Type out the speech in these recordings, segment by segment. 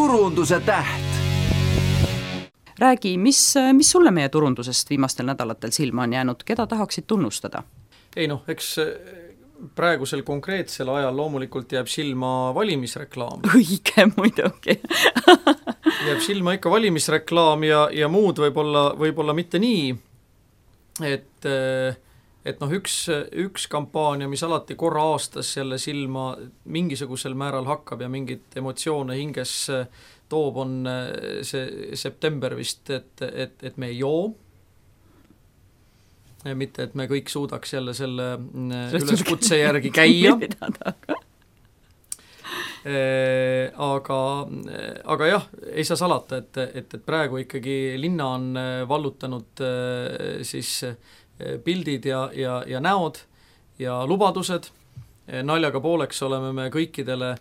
turunduse täht. Räägi, mis sulle meie turundusest viimastel nädalatel silma on jäänud, keda tahaksid tunnustada? Ei noh, eks praegusel konkreetsel ajal loomulikult jääb silma valimisreklaam. Õige muidugi. Jääb silma ikka valimisreklaam ja muud võib-olla mitte nii, et noh, üks kampaania, mis alati korra aastas jälle silma mingisugusel määral hakkab ja mingit emotsioone hinges toob, on see september vist, et me ei joo. Mitte, et me kõik suudaks jälle selle üleskutse järgi käia. Aga jah, ei saa salata, et praegu ikkagi linna on vallutanud siis pildid ja näod ja lubadused. Naljaga pooleks oleme me kõikidele,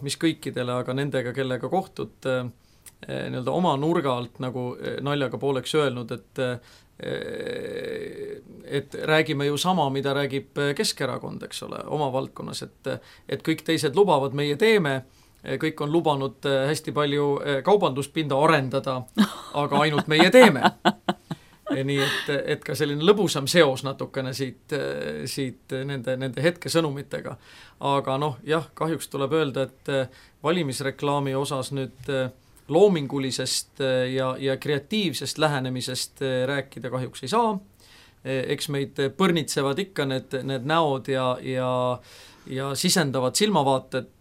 mis kõikidele, aga nendega, kellega kohtud nii-öelda oma nurga alt nagu naljaga pooleks öelnud, et räägime ju sama, mida räägib Keskerakond, eks ole, oma valdkonnas, et kõik teised lubavad, meie teeme, kõik on lubanud hästi palju kaubanduspinda arendada, aga ainult meie teeme. Nii et ka selline lõbusam seos natukene siit nende hetke sõnumitega. Aga jah, kahjuks tuleb öelda, et valimisreklaami osas nüüd loomingulisest ja kreatiivsest lähenemisest rääkida kahjuks ei saa. Eks meid põrnitsevad ikka need näod ja sisendavad silmavaated.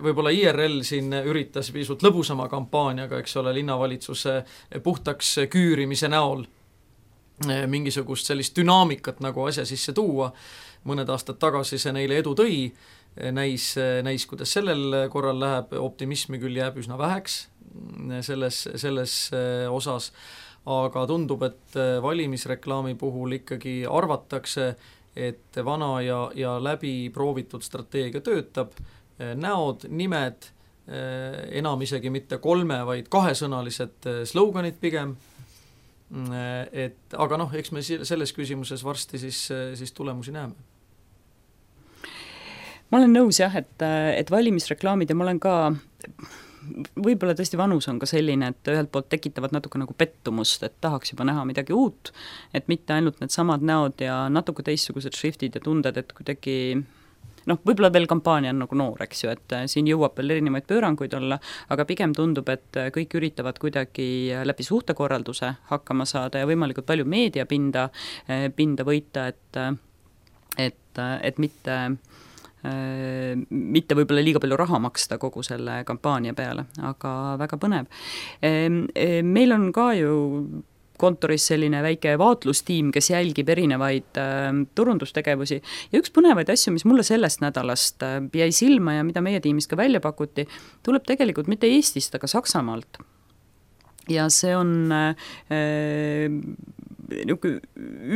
Võib-olla IRL siin üritas pisut lõbusama kampaaniaga, eks ole, linnavalitsuse puhtaks küürimise näol mingisugust sellist dünaamikat nagu asja sisse tuua. Mõned aastad tagasi see neile edu tõi. Näis, kuidas sellel korral läheb, optimismi küll jääb üsna väheks selles osas, aga tundub, et valimisreklaami puhul ikkagi arvatakse, et vana ja läbi proovitud strateegia töötab, näod, nimed, enam isegi mitte 3, vaid 2-sõnalised sloganid pigem, aga eks me selles küsimuses varsti siis tulemusi näeme. Ma olen nõus jah, et valimisreklaamid ja ma olen ka, võib-olla tõesti vanus on ka selline, et ühelt poolt tekitavad natuke nagu pettumust, et tahaks juba näha midagi uut, et mitte ainult need samad näod ja natuke teistsugused šriftid ja tunded, et kuidagi, võib-olla veel kampaania on nagu noor, eks ju, et siin jõuab veel erinevaid pööranguid olla, aga pigem tundub, et kõik üritavad kuidagi läbi suhtekorralduse hakkama saada ja võimalikult palju meediapinda võita, et mitte võib-olla liiga palju raha maksta kogu selle kampaania peale, aga väga põnev. Meil on ka ju kontoris selline väike vaatlustiim, kes jälgib erinevaid turundustegevusi ja üks põnevaid asju, mis mulle sellest nädalast jäi silma ja mida meie tiimis ka välja pakuti, tuleb tegelikult mitte Eestist, aga Saksamaalt. Ja see on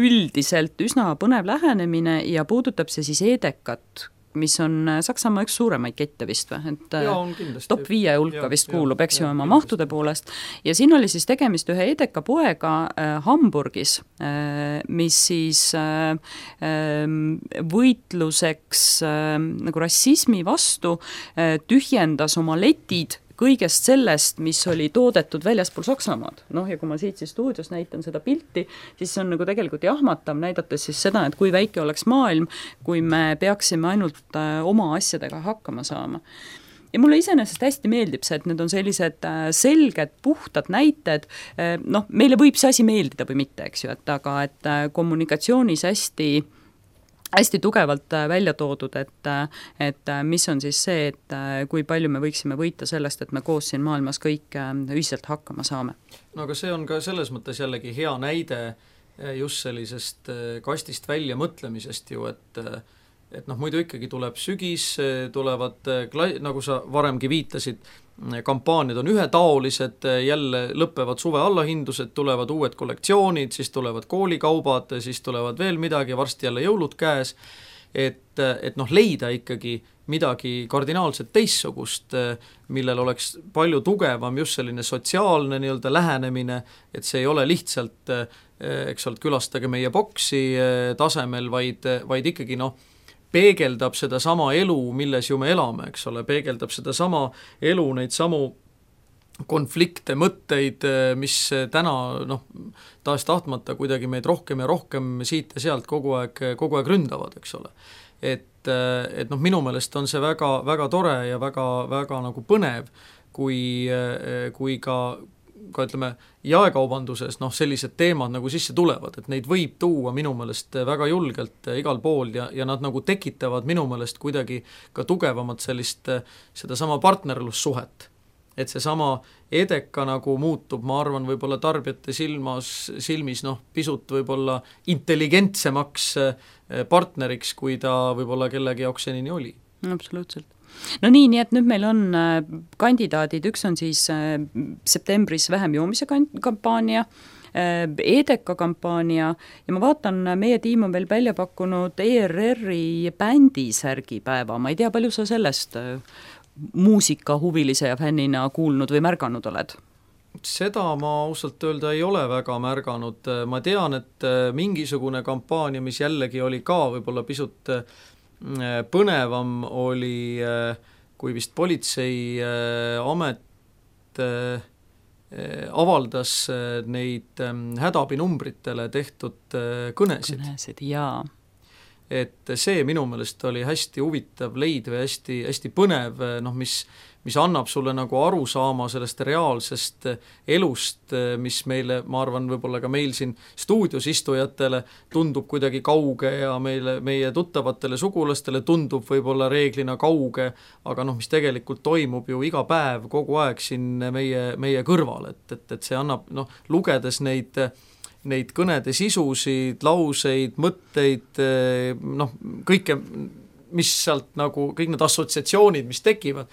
üldiselt üsna põnev lähenemine ja puudutab see siis Edekat, mis on Saksamaa üks suuremaid kette vist või, et top 5 hulka vist kuulub, eks ju, oma mahtude poolest. Ja siin oli siis tegemist ühe Edeka poega Hamburgis, mis siis võitluseks nagu rassismi vastu tühjendas oma letid kõigest sellest, mis oli toodetud väljaspool Saksamaad. Ja kui ma siit siis stuudios näitan seda pilti, siis see on nagu tegelikult jahmatav, näidates siis seda, et kui väike oleks maailm, kui me peaksime ainult oma asjadega hakkama saama. Ja mulle iseenesest hästi meeldib see, et need on sellised selged, puhtad näited. Meile võib see asi meeldida või mitte, eks ju, aga et kommunikatsioonis hästi tugevalt välja toodud, et mis on siis see, et kui palju me võiksime võita sellest, et me koos siin maailmas kõik ühiselt hakkama saame. Aga see on ka selles mõttes jällegi hea näide just sellisest kastist välja mõtlemisest ju, et muidu ikkagi tuleb sügis, tulevad, nagu sa varemgi viitasid, kampaaniad on ühetaolised, jälle lõpevad suve allahindused, tulevad uued kollektsioonid, siis tulevad koolikaubad, siis tulevad veel midagi, varsti jälle jõulud käes, et leida ikkagi midagi kardinaalselt teissugust, millel oleks palju tugevam just selline sotsiaalne nii-öelda lähenemine, et see ei ole lihtsalt, eks ole, külastage meie boksi tasemel, vaid ikkagi peegeldab seda sama elu, milles ju me elame, eks ole, peegeldab seda sama elu, neid samu konflikte, mõtteid, mis täna tahes-tahtmata kuidagi meid rohkem ja rohkem siit ja sealt kogu aeg ründavad, eks ole. Et minu meelest on see väga, väga tore ja väga, väga nagu põnev, kui ka ütleme, jaekaubanduses sellised teemad nagu sisse tulevad, et neid võib tuua minu meelest väga julgelt igal pool ja nad nagu tekitavad minu meelest kuidagi ka tugevamat sedasama partnerlussuhet. Et seesama Edeka nagu muutub, ma arvan, võib-olla tarbijate silmis pisut võib-olla intelligentsemaks partneriks, kui ta võib-olla kellegi jaoks senini oli. Absoluutselt. No nii et nüüd meil on kandidaadid, üks on siis septembris vähem joomise kampaania, Edeka kampaania ja ma vaatan, meie tiim on veel välja pakkunud ERR-i bändisärgipäeva, ma ei tea, palju sa sellest muusikahuvilise ja fännina kuulnud või märganud oled? Seda ma ausalt öelda ei ole väga märganud, ma tean, et mingisugune kampaania, mis jällegi oli ka võib-olla pisut põnevam, oli, kui vist politseiamet avaldas neid hädaabinumbritele tehtud kõnesid. Kõnesid, jaa. Et see minu meelest oli hästi huvitav leid või hästi, hästi põnev, mis annab sulle nagu aru saama sellest reaalsest elust, mis meile, ma arvan, võib-olla ka meil siin stuudios istujatele tundub kuidagi kauge ja meie tuttavatele sugulastele tundub võib-olla reeglina kauge, aga mis tegelikult toimub ju iga päev kogu aeg siin meie kõrval, et see annab, lugedes neid kõnede sisusid, lauseid, mõtteid, kõike, mis sealt nagu, kõik need assotsiatsioonid, mis tekivad,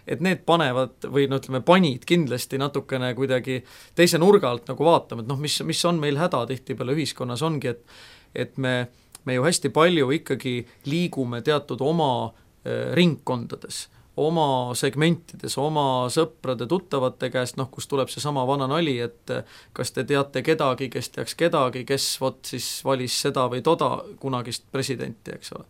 et need panevad või panid kindlasti natukene kuidagi teise nurga alt nagu vaatama, et mis on meil häda tihtipeale ühiskonnas ongi, et me ju hästi palju ikkagi liigume teatud oma ringkondades, oma segmentides, oma sõprade, tuttavate käest, kus tuleb see sama vana nali, et kas te teate kedagi, kes teaks kedagi, kes siis valis seda või toda kunagist presidenti, eks ole.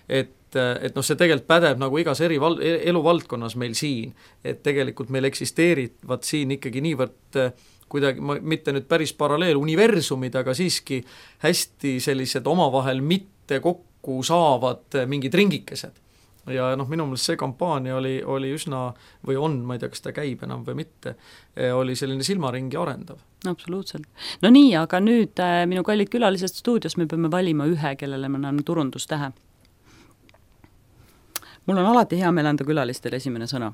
Et see tegelikult pädeb nagu igas eluvaldkonnas meil siin, et tegelikult meil eksisteerivad siin ikkagi niivõrd kuidagi, mitte nüüd päris paralleel universumid, aga siiski hästi sellised omavahel mitte kokku saavad mingid ringikesed. Ja minu meelest see kampaania oli üsna, või on, ma ei tea, kas ta käib enam või mitte, oli selline silmaringi arendav. Absoluutselt. No nii, aga nüüd minu kallid külalised stuudios me peame valima ühe, kellele me anname turundustähe. Mul on alati hea meel anda külalistele esimene sõna.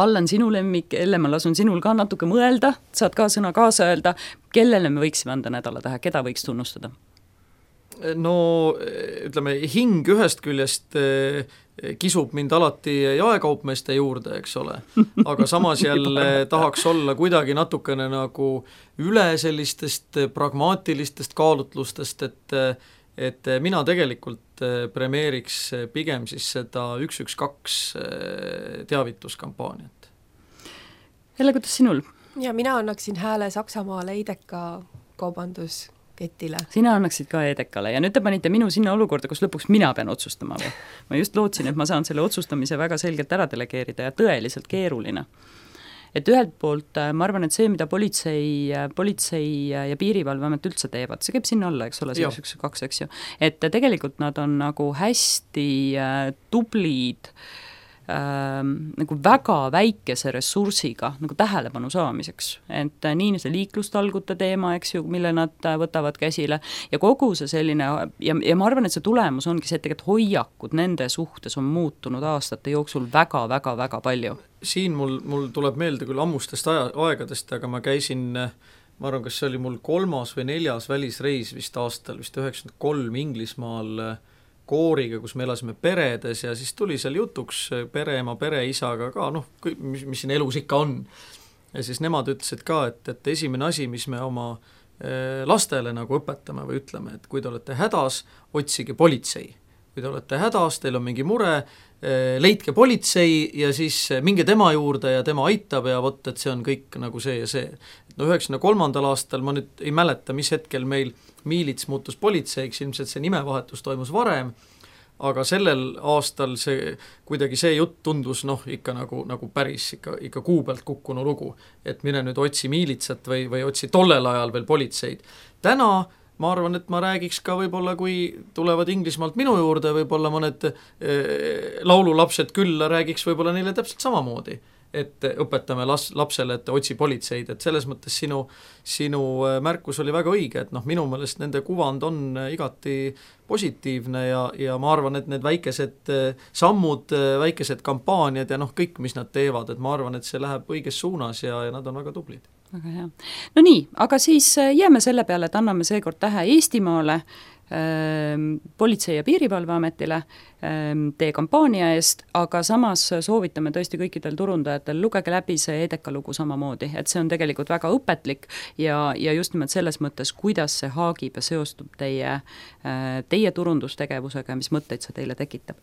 Allan, sinu lemmik, Elle, ma lasun sinul ka natuke mõelda, saad ka sõna kaasa öelda, kellele me võiksime anda nädalatähe, keda võiks tunnustada? No ütleme, hing ühest küljest kisub mind alati jaekaupmeeste juurde, eks ole, aga samas jälle tahaks olla kuidagi natukene nagu üle sellistest pragmaatilistest kaalutlustest, et mina tegelikult premeeriks pigem siis seda 112 teavituskampaaniat. Jälle, kuidas sinul? Ja mina annaksin hääle Saksamaale Edeka kaubandusketile. Sina annaksid ka Edekale ja nüüd te panite minu sinna olukorda, kus lõpuks mina pean otsustama või? Ma just lootsin, et ma saan selle otsustamise väga selgelt ära delegeerida ja tõeliselt keeruline. Et ühelt poolt ma arvan, et see, mida politsei ja piirivalveamet üldse teevad, see käib sinna alla, eks ole, see 112, eks ju. Et tegelikult nad on nagu hästi tublid nagu väga väikese ressursiga nagu tähelepanu saamiseks, et nii see liiklustalgute teema, eks ju, mille nad võtavad käsile ja kogu see selline ja ma arvan, et see tulemus ongi see, et tegelikult hoiakud nende suhtes on muutunud aastate jooksul väga palju. Siin mul tuleb meelde küll ammustest aegadest, aga ma käisin, ma arvan, kas see oli mul 3. või 4. välisreis vist aastal, vist 93 Inglismaal kooriga, kus me elasime peredes ja siis tuli seal jutuks pereema, pereisaga ka, mis siin elus ikka on. Ja siis nemad ütlesid ka, et esimene asi, mis me oma lastele nagu õpetame või ütleme, et kui te olete hädas, otsige politsei. Kui te olete hädas, teil on mingi mure, leidke politsei ja siis minge tema juurde ja tema aitab ja vot, et see on kõik nagu see ja see. 93. aastal, ma nüüd ei mäleta, mis hetkel meil Miilits muutus politseiks, ilmselt see nimevahetus toimus varem, aga sellel aastal kuidagi see jutt tundus ikka nagu päris ikka kuu pealt kukkunu lugu, et mine nüüd otsi miilitsat või otsi tollel ajal veel politseid. Täna ma arvan, et ma räägiks ka võib-olla, kui tulevad Inglismaalt minu juurde võib-olla mõned laululapsed külla, räägiks võib-olla neile täpselt samamoodi, et õpetame lapsele, et otsi politseid, et selles mõttes sinu märkus oli väga õige, et minu meelest nende kuvand on igati positiivne ja ma arvan, et need väikesed sammud, väikesed kampaaniad ja kõik, mis nad teevad, et ma arvan, et see läheb õiges suunas ja nad on väga tublid. Väga hea. No nii, aga siis jääme selle peale, et anname seekord tähe Eestimaale, Politsei- ja Piirivalveametile teie kampaania eest, aga samas soovitame tõesti kõikidel turundajatel, lugege läbi see EDEKA lugu samamoodi, et see on tegelikult väga õpetlik ja just nimelt selles mõttes, kuidas see haagib ja seostub teie turundustegevusega ja mis mõtteid see teile tekitab.